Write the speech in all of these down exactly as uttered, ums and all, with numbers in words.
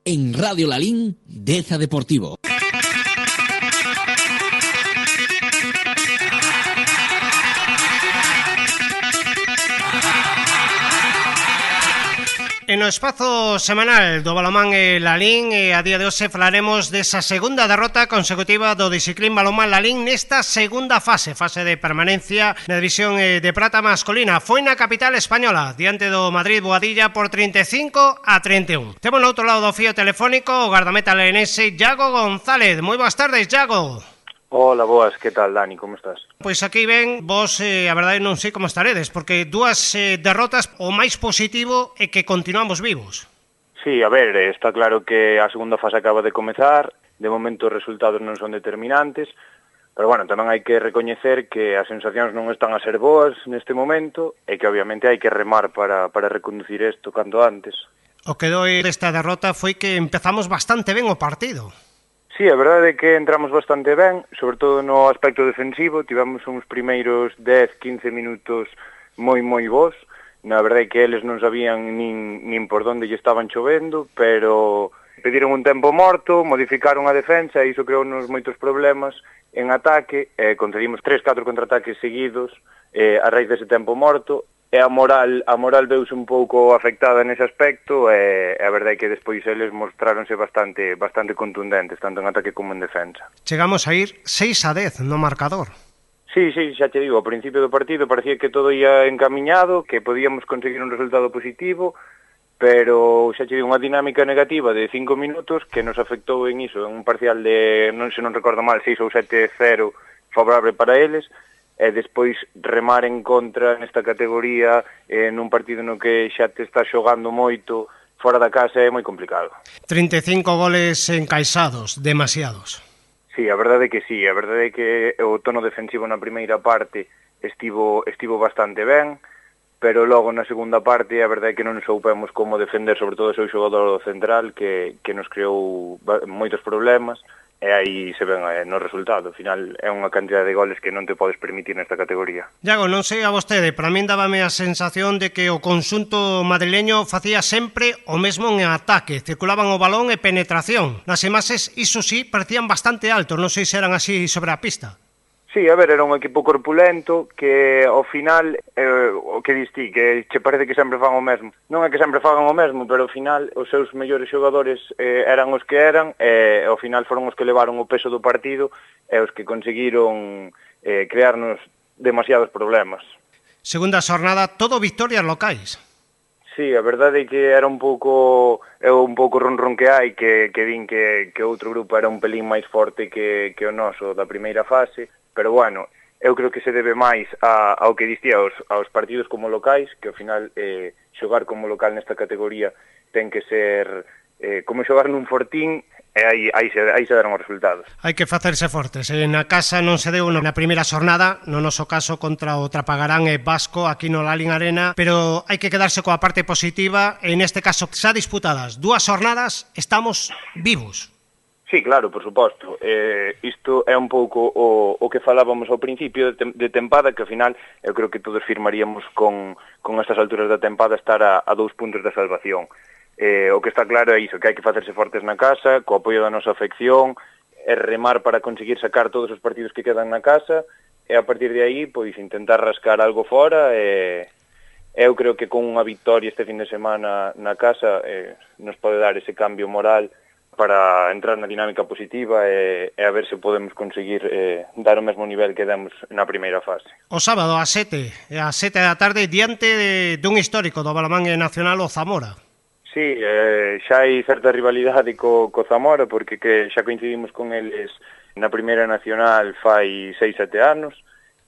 en Radio Lalín, Deza Deportivo. En o espazo semanal do balonmán e Lalín, e a día de hoxe falaremos desa segunda derrota consecutiva do Disciclín Balonmán Lalín nesta segunda fase, fase de permanencia na división de prata masculina. Foi na capital española, diante do Madrid Boadilla por trinta e cinco a trinta e un. Temos no outro lado do fío telefónico o gardameta lenense Iago González. Moi boas tardes, Iago. Hola, boas, que tal, Dani, como estás? Pois aquí ven, vos, eh, a verdade non sei como estaredes, porque dúas eh, derrotas, o máis positivo é que continuamos vivos. Sí, a ver, está claro que a segunda fase acaba de comezar, de momento os resultados non son determinantes, pero bueno, tamén hai que recoñecer que as sensacións non están a ser boas neste momento e que obviamente hai que remar para, para reconducir isto canto antes. O que doi desta derrota foi que empezamos bastante ben o partido. Sí, a verdade é que entramos bastante ben, sobre todo no aspecto defensivo, tivemos uns primeiros dez a quince minutos moi moi bons, na verdade é que eles non sabían nin, nin por onde lle estaban chovendo, pero pediron un tempo morto, modificaron a defensa e iso creou-nos moitos problemas en ataque, e concedimos tres catro contraataques seguidos eh, a raíz dese tempo morto, e a moral a moral veuse un pouco afectada nese aspecto e a verdade é que despois eles mostráronse bastante bastante contundentes, tanto en ataque como en defensa. Chegamos a ir seis a dez no marcador. Sí, sí, xa te digo, ao principio do partido parecía que todo ia encamiñado, que podíamos conseguir un resultado positivo, pero xa te digo, unha dinámica negativa de cinco minutos que nos afectou en iso, en un parcial de, non se non recordo mal, seis ou sete cero favorable para eles, e despois remar en contra nesta categoría eh, nun partido no que xa te está xogando moito fora da casa é moi complicado. trinta e cinco goles encaixados, demasiados. Sí, a verdade é que sí, a verdade é que o tono defensivo na primeira parte estivo estivo bastante ben, pero logo na segunda parte a verdade é que non soupemos como defender, sobre todo o seu xogador central que, que nos creou moitos problemas. E aí se ven eh, no resultado. Ao final é unha cantidad de goles que non te podes permitir nesta categoría. Iago, non sei a vostede, para min dábame a sensación de que o conxunto madrileño facía sempre o mesmo en ataque, circulaban o balón e penetración. Nas imaxes, iso sí, parecían bastante altos, non sei se eran así sobre a pista. Sí, a ver, era un equipo corpulento que ao final, eh, o que distí, que che parece que sempre fan o mesmo. Non é que sempre fagan o mesmo, pero ao final os seus mellores xogadores eh, eran os que eran, e ao final foron os que levaron o peso do partido e os que conseguiron eh, crearnos demasiados problemas. Segunda xornada, todo victorias locais. Sí, a verdade é que era un pouco é un pouco ronron que hai, que, que din que, que outro grupo era un pelín máis forte que, que o noso da primeira fase, pero bueno, eu creo que se debe máis a, ao que distía aos, aos partidos como locais, que ao final eh, xogar como local nesta categoría ten que ser eh, como xogar nun fortín, e aí, aí, se, aí se deron os resultados. Hai que facerse fortes. E na casa non se deu na primeira xornada, no noso caso contra o Trapagarán e Vasco aquí no Lalín Arena, pero hai que quedarse coa parte positiva, e neste caso xa disputadas dúas xornadas, estamos vivos. Sí, claro, por suposto. Eh, isto é un pouco o, o que falábamos ao principio de, tem, de tempada, que ao final eu creo que todos firmaríamos con, con estas alturas da tempada estar a, a dous puntos da salvación. Eh, o que está claro é iso, que hai que facerse fortes na casa, co apoio da nosa afección, e remar para conseguir sacar todos os partidos que quedan na casa, e a partir de aí, pois, intentar rascar algo fora, e eu creo que con unha victoria este fin de semana na casa eh, nos pode dar ese cambio moral para entrar na dinámica positiva e, e a ver se podemos conseguir eh, dar o mesmo nivel que demos na primeira fase. O sábado, ás sete, ás sete da tarde, diante de, dun histórico do balonmán nacional, o Zamora. Sí, eh, xa hai certa rivalidade co, co Zamora, porque que xa coincidimos con eles na primeira nacional fai seis sete anos,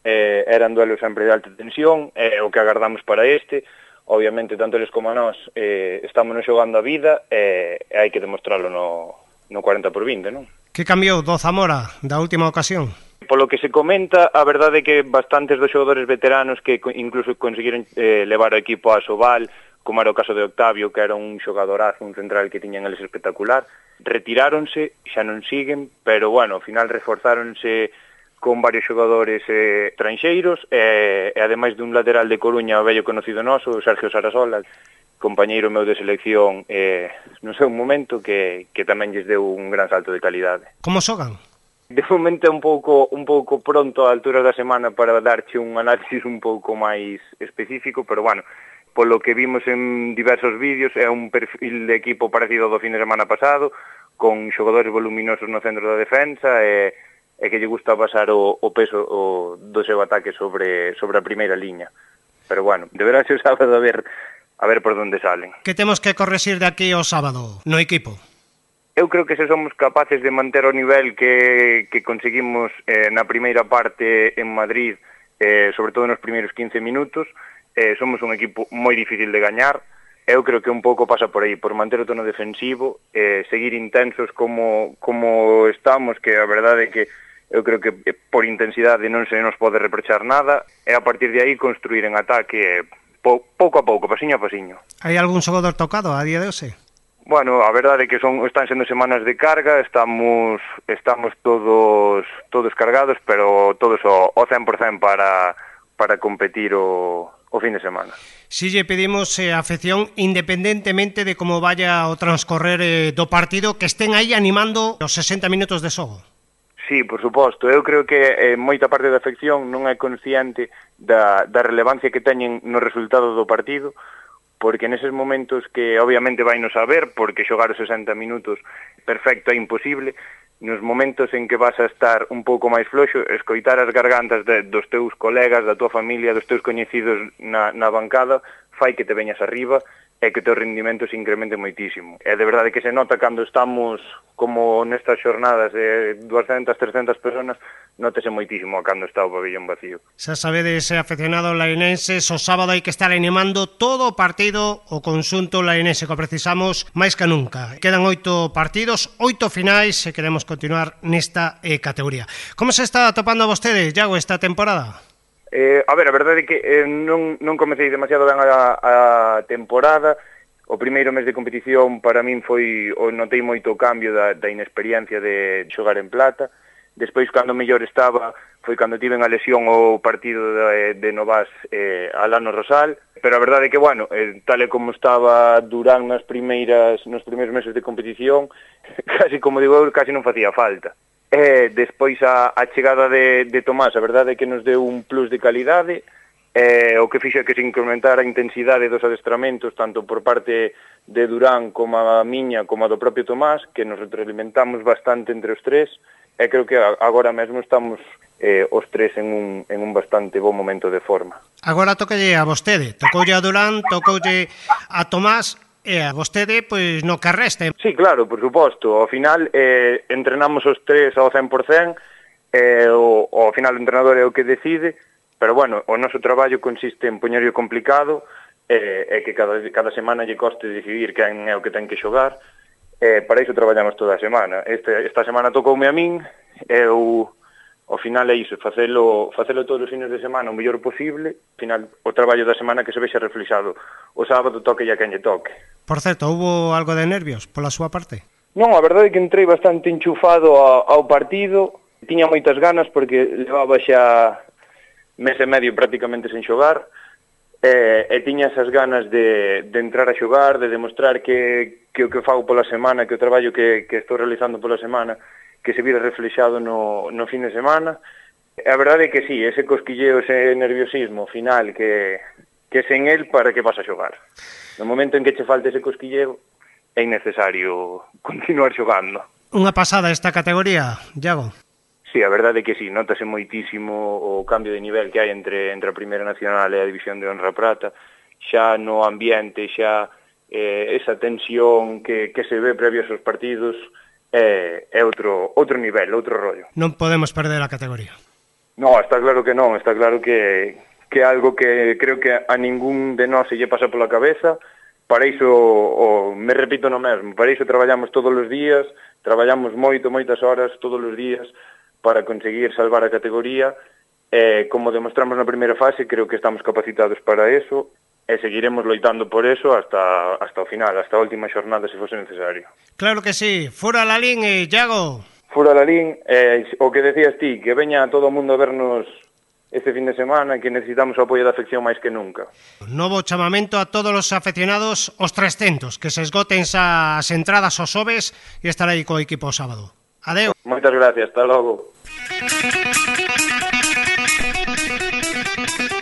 eh, eran duelos sempre de alta tensión, é eh, o que agardamos para este. Obviamente, tanto eles como a nós eh, estamos xogando a vida e eh, hai que demostrarlo no, no cuarenta por vinte, non? Que cambiou do Zamora da última ocasión? Polo que se comenta, a verdade é que bastantes dos xogadores veteranos que incluso conseguiron eh, levar o equipo a Sobal, como era o caso de Octavio, que era un xogadorazo, un central que tiñan eles espectacular, retiráronse, xa non siguen, pero bueno, ao final reforzáronse con varios xogadores eh, estranxeiros e, e ademais dun lateral de Coruña, o vello conocido noso, Sergio Sarasola, compañeiro meu de selección eh, no seu momento que, que tamén lles deu un gran salto de calidade. Como xogan? De momento é un pouco un pouco pronto a altura da semana para darche un análisis un pouco máis específico, pero bueno, polo que vimos en diversos vídeos é un perfil de equipo parecido ao do fin de semana pasado, con xogadores voluminosos no centro da defensa e, e que lle gusta pasar o, o peso o, do seu ataque sobre, sobre a primeira liña. Pero bueno, deberá ser o sábado a ver, a ver por onde salen. Que temos que correxir de aquí ao sábado no equipo? Eu creo que se somos capaces de manter o nivel que, que conseguimos eh, na primeira parte en Madrid, eh, sobre todo nos primeiros quince minutos, eh, somos un equipo moi difícil de gañar. Eu creo que un pouco pasa por aí, por manter o tono defensivo, eh, seguir intensos como, como estamos, que a verdade é que eu creo que por intensidade non se nos pode reprochar nada, e a partir de aí construir en ataque eh, pou, pouco a pouco, pasiño a pasiño. Hai algún xogador tocado a día de hoxe? Bueno, a verdade é que son están sendo semanas de carga, estamos estamos todos todos cargados, pero todos ao, ao cen por cen para, para competir o, o fin de semana. Si lle pedimos eh, a afección, independentemente de como vaya o transcorrer eh, do partido, que estén aí animando os sesenta minutos de xogo. Sí, por suposto. Eu creo que eh, moita parte da afección non é consciente da, da relevancia que teñen no resultado do partido, porque neses momentos que obviamente vai non saber, porque xogar os sesenta minutos perfecto é imposible, nos momentos en que vas a estar un pouco máis floxo, escoitar as gargantas de, dos teus colegas, da tua familia, dos teus coñecidos na, na bancada, fai que te veñas arriba e que o teu rendimento se incremente moitísimo. É de verdade que se nota cando estamos como nestas xornadas de duascentas, trescentas personas, nótese moitísimo cando está o pabellón vacío. Xa sabedes, aficionados lainenses, o sábado hai que estar animando todo o partido o conxunto lainense que precisamos máis que nunca. Quedan oito partidos, oito finais e queremos continuar nesta eh, categoría. Como se está atopando a vostede, Iago, esta temporada? Eh, a ver, a verdade é que eh, non, non comecei demasiado ben a, a temporada. O primeiro mes de competición para min foi, o notei moito o cambio da, da inexperiencia de xogar en plata. Despois, cando mellor estaba, foi cando tiven a lesión o partido de, de Novas eh, Alano Rosal. Pero a verdade é que, bueno, eh, tal e como estaba Durán nas primeiras, nos primeiros meses de competición, casi como digo eu, casi non facía falta. E despois a, a chegada de, de Tomás, a verdade é que nos deu un plus de calidade, e o que fixo que se incrementara a intensidade dos adestramentos, tanto por parte de Durán como a miña, como a do propio Tomás, que nos retroalimentamos bastante entre os tres, e creo que agora mesmo estamos eh, os tres en un, en un bastante bon momento de forma. Agora tocalle a vostede, tocoulle a Durán, tocoulle a Tomás, e a vostede, pois, no que reste. Sí, claro, por suposto. Ao final, eh, entrenamos os tres ao cen por cen, eh, o, ao final o entrenador é o que decide, pero, bueno, o noso traballo consiste en poñerlo complicado, eh, e que cada, cada semana lle coste decidir quen é o que ten que xogar, eh, para iso traballamos toda a semana. Este, esta semana tocoume a min, e eu... Ao final é iso, facelo, facelo todos os fines de semana o mellor posible, ao final o traballo da semana que se vexa reflexado. O sábado toque e a quen lle toque. Por certo, houbo algo de nervios pola súa parte? Non, a verdade é que entrei bastante enchufado ao, ao partido, tiña moitas ganas porque levaba xa mes e medio prácticamente sen xogar, e, e tiña esas ganas de, de entrar a xogar, de demostrar que, que o que fago pola semana, que o traballo que, que estou realizando pola semana, que se vira reflexado no, no fin de semana. A verdade é que sí, ese cosquilleo, ese nerviosismo final que, que sen el, para que vas a xogar. No momento en que che falte ese cosquilleo, é innecesario continuar xogando. Unha pasada esta categoría, Iago? Sí, a verdade é que sí, notase moitísimo o cambio de nivel que hai entre, entre a Primeira Nacional e a División de Honra Prata, xa no ambiente, xa eh, esa tensión que, que se ve previos aos partidos, é, é outro, outro nivel, outro rollo. Non podemos perder a categoría. No, está claro que non, está claro que, que é algo que creo que a ningún de nós se lle pasa pola cabeza. Para iso, o, me repito no mesmo, para iso traballamos todos os días, traballamos moito, moitas horas, todos os días, para conseguir salvar a categoría, e como demostramos na primeira fase, creo que estamos capacitados para eso, e seguiremos loitando por eso hasta, hasta o final, hasta a última xornada, se fose necesario. Claro que sí. Fura Lalín e Iago. Fura Lalín, eh, o que decías ti, que veña todo o mundo a vernos este fin de semana, que necesitamos o apoio da afección máis que nunca. Novo chamamento a todos os afeccionados os trescentos, que se esgoten as entradas aos xoves e estar aí co equipo o sábado. Adeu. Moitas gracias, hasta logo.